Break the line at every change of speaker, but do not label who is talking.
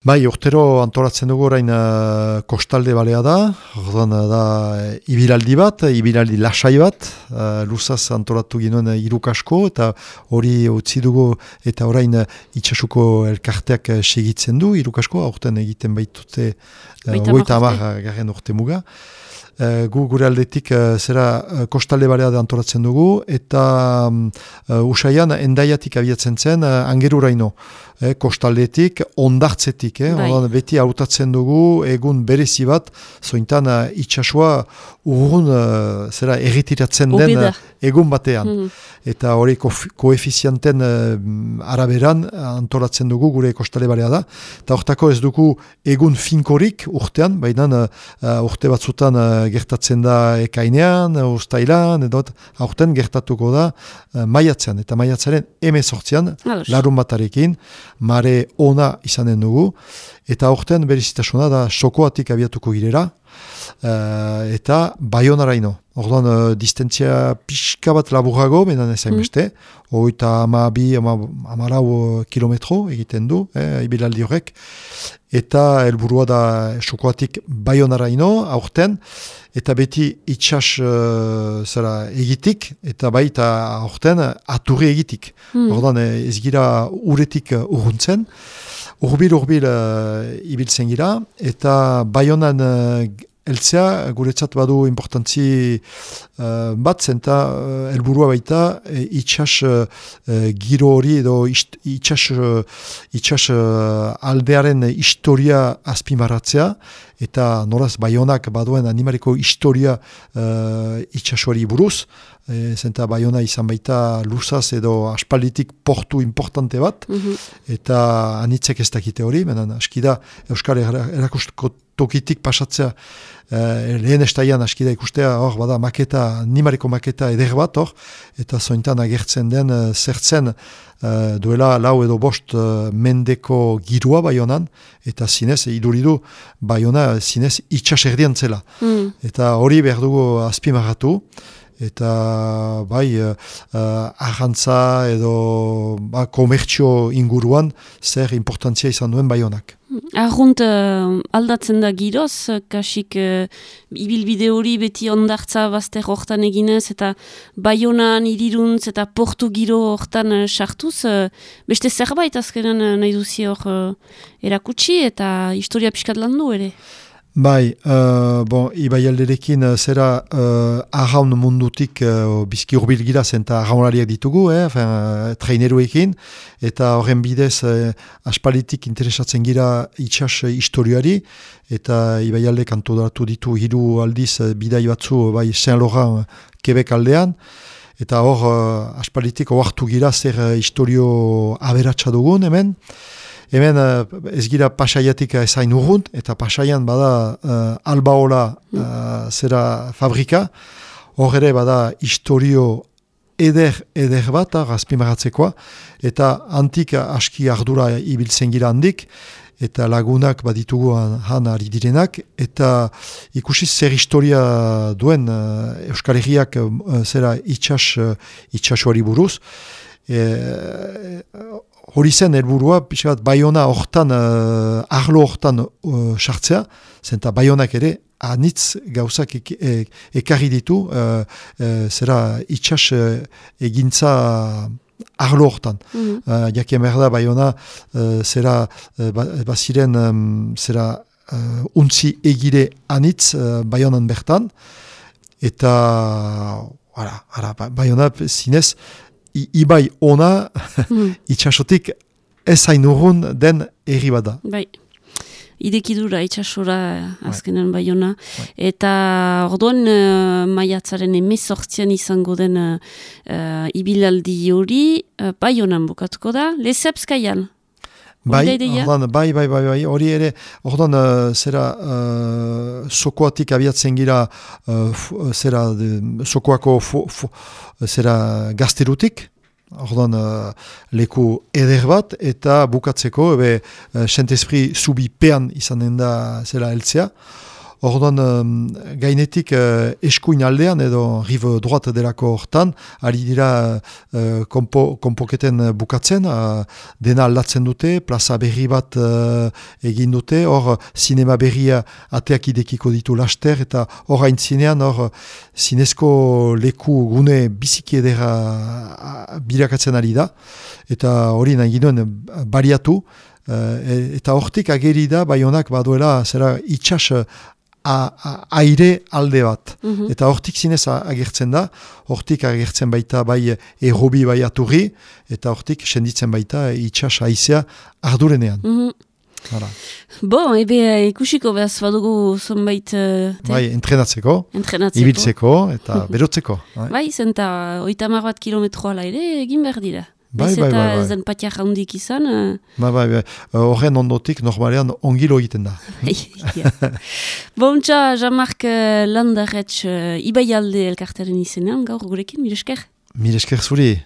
Bai, urtero antolatzen dugu orain kostalde balea da, orduan da ibilaldi bat, ibilaldi lasai bat, luzaz antolatu ginoen hirukasko, eta hori utzi dugu eta orain itxasuko elkarteak segitzen du, hirukasko, aurten egiten baitute 30 urte muga. Gu gure aldetik kostalde balea da antolatzen dugu, eta usaian endaiatik abiatzen zen angeruraino. Kostaldetik, ondartzetik, beti hautatzen dugu egun berezi bat, zointan itxasua urrun erritiratzen den egun batean. Eta hori koefizianten araberan antolatzen dugu gure kostalde balea da. Eta hortako ez dugu egun finkorik urtean, baina urte batzutan gertatzen da ekainean, ustailan, edo aurten gertatuko da maiatzean. Eta maiatzaren 18an, larun batarekin, mare ona izanen dugu, eta aurten berezitasuna da Sokoatik abiatuko girera, eta Baionaraino. Orduan, distentzia pixka bat laburrago, benan ezain beste, hogeita 12 kilometro egiten du, ibilaldi horrek, eta helburua da Sokoatik Baionaraino, aurten, eta beti itxas egitik, eta baita aurten aturri egitik. Orduan, ez gira uretik urruntzen, urbil ibiltzen gira, eta Baionan eltzea guretzat badu importantzi bat, zenta helburua baita itxas giro hori edo itxas aldearen historia azpimaratzea, eta noraz Baionak baduen animariko historia itxasuari buruz, zenta Baiona izan baita luzaz edo aspalditik portu importante bat, eta anitzek ez dakite hori, menan askida Euskal Erakusteko tokitik pasatzea lehen estaian askida ikustea, hor bada maketa, animariko maketa eder bat hor, eta zointan agertzen den zertzen duela 4 edo 5 mendeko girua Baionan, eta zinez, iduridu Baiona zinez itxas erdian zela. Eta hori behar dugu azpimarratu, eta bai arrantza edo komertzio inguruan zer importantzia izan duen Baionak.
Arrunt aldatzen da giroz, kasik ibilbide hori beti ondartza bazter hortan eginez, eta Baionan, iriruntz eta portu giro hortan sartuz, beste zerbait azkenan nahi duzi hor erakutsi eta historia pixkat landu ere?
Bai, Ibai alderekin zera arraun mundutik bizki urbil gira zenta arraunariak ditugu, traineruekin, eta horren bidez aspalitik interesatzen gira itxas historiari, eta Ibai aldek antolatu ditu 3 aldiz bidai batzu bai Saint-Laurent Quebec aldean, eta hor aspalitik oartu gira zer historio aberatsa dugun hemen. Hemen ez gira Pasaiatik ezain urrunt, eta Pasaian bada Albaola zera fabrika, hor ere bada historio eder bat, azpimarratzekoa, eta antik aski ardura ibiltzen gira handik, eta lagunak baditugu han ari direnak, eta ikusi zer historia duen Euskal Herriak zera itxasuari buruz, hori zen helburua, pixkat Baiona hortan, arlo hortan sartzea, zenta Baionak ere anitz gauzak ekarri ditu, zera itxas egintza arlo hortan. Jakien behar da Baiona zera baziren zera untzi egire anitz Baionan bertan, eta Baiona zinez Ibai ona itxasotik ez hain urrun den erri bada.
Bai, idekidura itxasora azkenan Baiona. Eta orduan maiatzaren 18an izango den ibilaldi hori Baionan bukatuko da, Lesepskaian.
Bai, hori ere, ordan zera Sokoatik abiatzen gira zera Sokoako zera gazterutik, ordan leku eder bat, eta bukatzeko Saint-Esprit zubi pean izanen da zera heltzea. orduan gainetik eskuin aldean edo rive droite delako hortan, ari dira konpoketen bukatzen, dena aldatzen dute, plaza berri bat egin dute, hor sinema berria ateak idekiko ditu laster, eta hor haintzinean, hor zinezko leku gune biziki edera birakatzen ari da, eta hori nahi ginoen bariatu, eta hortik ageri da, Baionak baduela zera itxas aire alde bat. Eta hortik zinez agertzen da, hortik agertzen baita bai errobi bai aturri, eta hortik senditzen baita itxas aizea ardurenean.
Bon, ikusiko behaz badugu zonbait...
Bai, entrenatzeko, ibiltzeko eta berotzeko.
Bai, zenta 30 kilometroa ere egin behar dira. Bai. Ez den patiak handik izan.
Horren ondotik normalean ongilo egiten da.
Bontxa, Jean-Marc Landarretx, Ibaialde elkartaren izenean, gaur gurekin, mire esker?
Mire esker zuri.